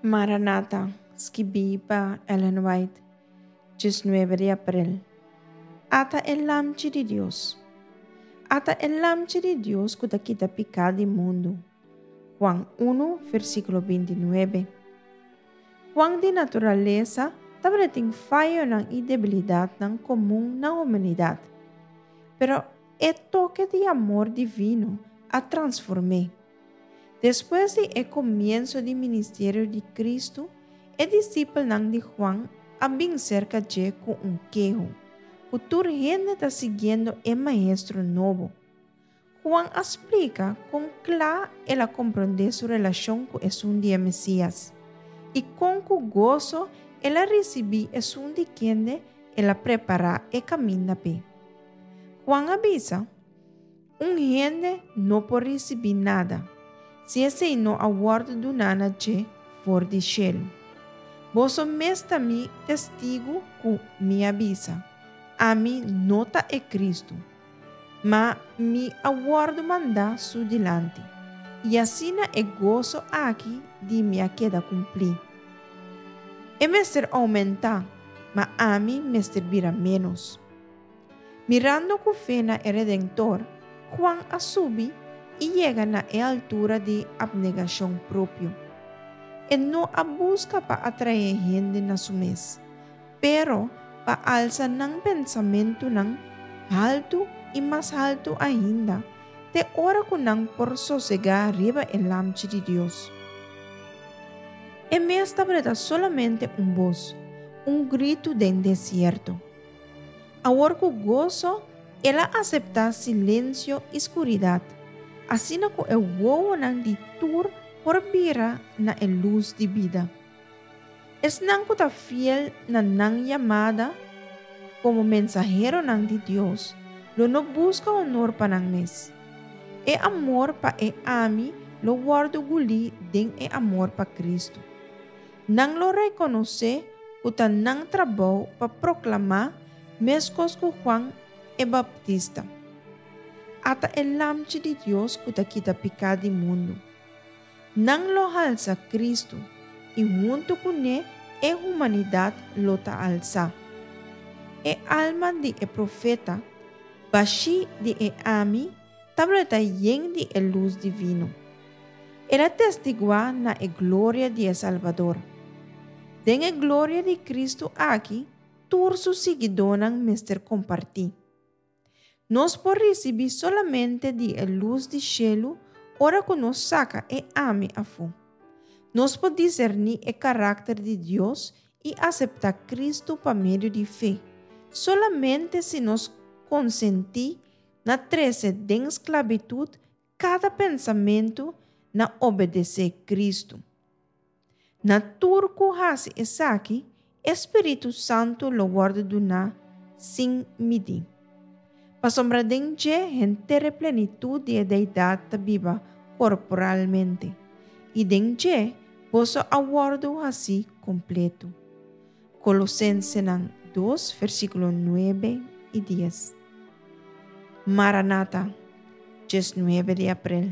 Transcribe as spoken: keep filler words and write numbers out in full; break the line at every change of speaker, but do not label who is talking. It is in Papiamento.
Maranata, skibí pa Ellen White, diesnuebe di aprel. Ata e Lamchi di Dios. Ata e Lamchi di Dios ku ta kita piká di mundu. Juan un, versíkulo bintinuebe. Juan di naturalesa tabatin fayonan i debilidatnan komun na humanidat. Pero e toke di amor divino a transform'é. Despues di e komienso di ministerio di Kristu, e disipelnan di Juan a bin serka dje ku un keho, ku tur hende ta siguiendo e maestro nobo. Juan a splika kon kla el a komprondé su relashon ku esun di e Mesias, i kon ku goso el a risibí esun di kende el a prepará e kaminda p'e. Juan a bisa, Un hende no por risibí nada, si esei no a wòrdu duná na dje for di shelu. Boso mes ta mi testigu ku mi a bisa, Ami no ta e Kristu, ma mi a wòrdu mandá su dilanti. I asina e goso aki di mi a keda kumplí. E mester oumentá, ma ami mester bira ménos. Mirando ku fe na e Redentor, Juan a subi i yega na e altura di apnegashon propio. E no a buska pa atraé hende na su mes, pero pa alsa nan pensamentunan haltu i mas haltu ainda, te ora ku nan por sosegá riba e Lamchi di Dios. E mes tabata solamente un bos, un gritu den desierto. Awor ku goso el a aseptá silensio i skuridat, asina ku e wowonan di tur por bira na e lus di bida. Esnan ku ta fiel na nan yamada komo mensaheronan di Dios, lo no buska honor pa nan mes. E amor pa e ami lo wòrdu gulí den e amor pa Kristu. Nan lo rekonosé ku ta nan trabou pa proklamá meskos ku Juan e Baptista. Ata e Lamchi di Dios ku ta kita piká di mundu. Nan lo halsa Kristu i huntu kuné e humanidat lo ta alsá. E alma di e profeta, bashí di e ami, tabata yen di e lus divino. El a testiguá na e gloria di e Salbador. Den e gloria di Kristu aki, tur su siguidónan mester kompartí. Nos por risibí solamente di e lus di shelu ora ku nos saka e ami afó. Nos por diserní e karakter di Dios i aseptá Kristu pa medio di fe, solamente si nos konsentí na trese den sklabitut kada pensamentu na obedesé Kristu. Na tur ku hasi esaki, e Spiritu Santu lo wòrdu duná sin midí. Pasobra den dje henter e plenitut di e Deidat ta biba korporalmente, i den dje boso a wòrdu hasí kompleto. Kolosensenan dos, versíkulo nuebe i dies. Maranata, diesnuebe di aprel.